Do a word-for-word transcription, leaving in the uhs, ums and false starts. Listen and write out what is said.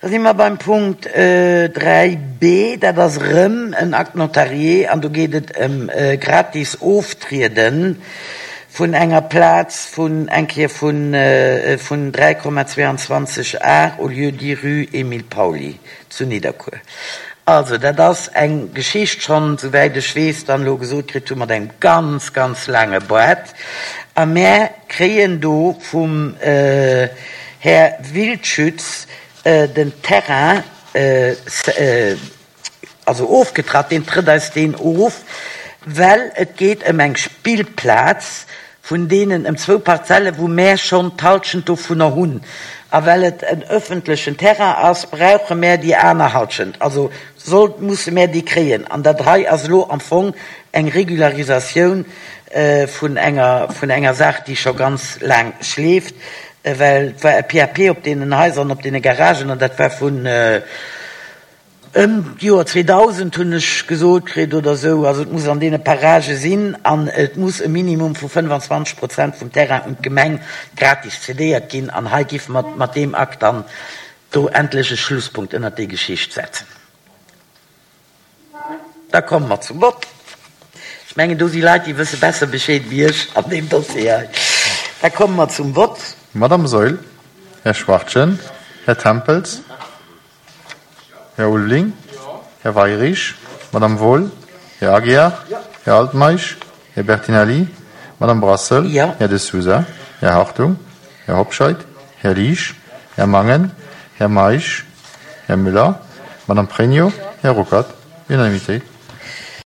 Da si mer beim Punkt dräi B, dat ass erëm en Acte notarié an do geet et ëm gratis Oftriede vun enger Plaz vun eng Kéier vun vun dräi Komma zweiundzwanzeg Ar au lieu-dit rue Émile Pauly zu Nidderkuer. Also dat ass eng Geschicht schonn, souwäit ech weess, dann elo gesot kritt hu mat engem ganz, ganz laange Boart. A mär kréien do vum Här Wildschütz den Terrain also ofgetratt, deen trëtt eis deen of, well et geet ëm eng Spillplaz vun deenen ëm zwou Parzelle, wou mär schonn d'Halschent dovunner hunn. A well et en ëffentlechen Terrain ass, brauche mär déi aner Halschent, also soll, musse mär déi kréien. An dat hei ass elo am Fong eng Regularisatioun vun enger vun enger Saach, déi scho ganz laang schleeft, well et war e P A P op deenen Haiser an op deene Garagen an dat war vun ëm d'Joer zweedausend, hunn ech gesot kritt, oder esou. Also et muss an deene Paragë sinn an et muss e Minimum vu fënnefanzwanzeg Prozent vum Terrain un d'Gemeng gratis cedéiert ginn an hei géife mer mat deem Akt dann do endlech e Schlusspunkt ënnert déi Geschicht setzen. Da komme mer zum Vott. Ech mengen, do si Leit, déi wësse besser Bescheed wéi ech an deem Dossier hei. Da komme mer zum Vott. Madame Saeul, Här Schwachtgen, Här Tempels, Här Ulveling, Här Weyrich, Madame Wohl, Här Aguiar, Här Altmeisch, Här Bertinelli, Madame Brassel, Ja. Här De Sousa, Här Hartung, Här Hobscheit, Här Liesch, Här Mangen, Här Meisch, Här Müller, Madame Pregno, Här Ruckert. Unanimité.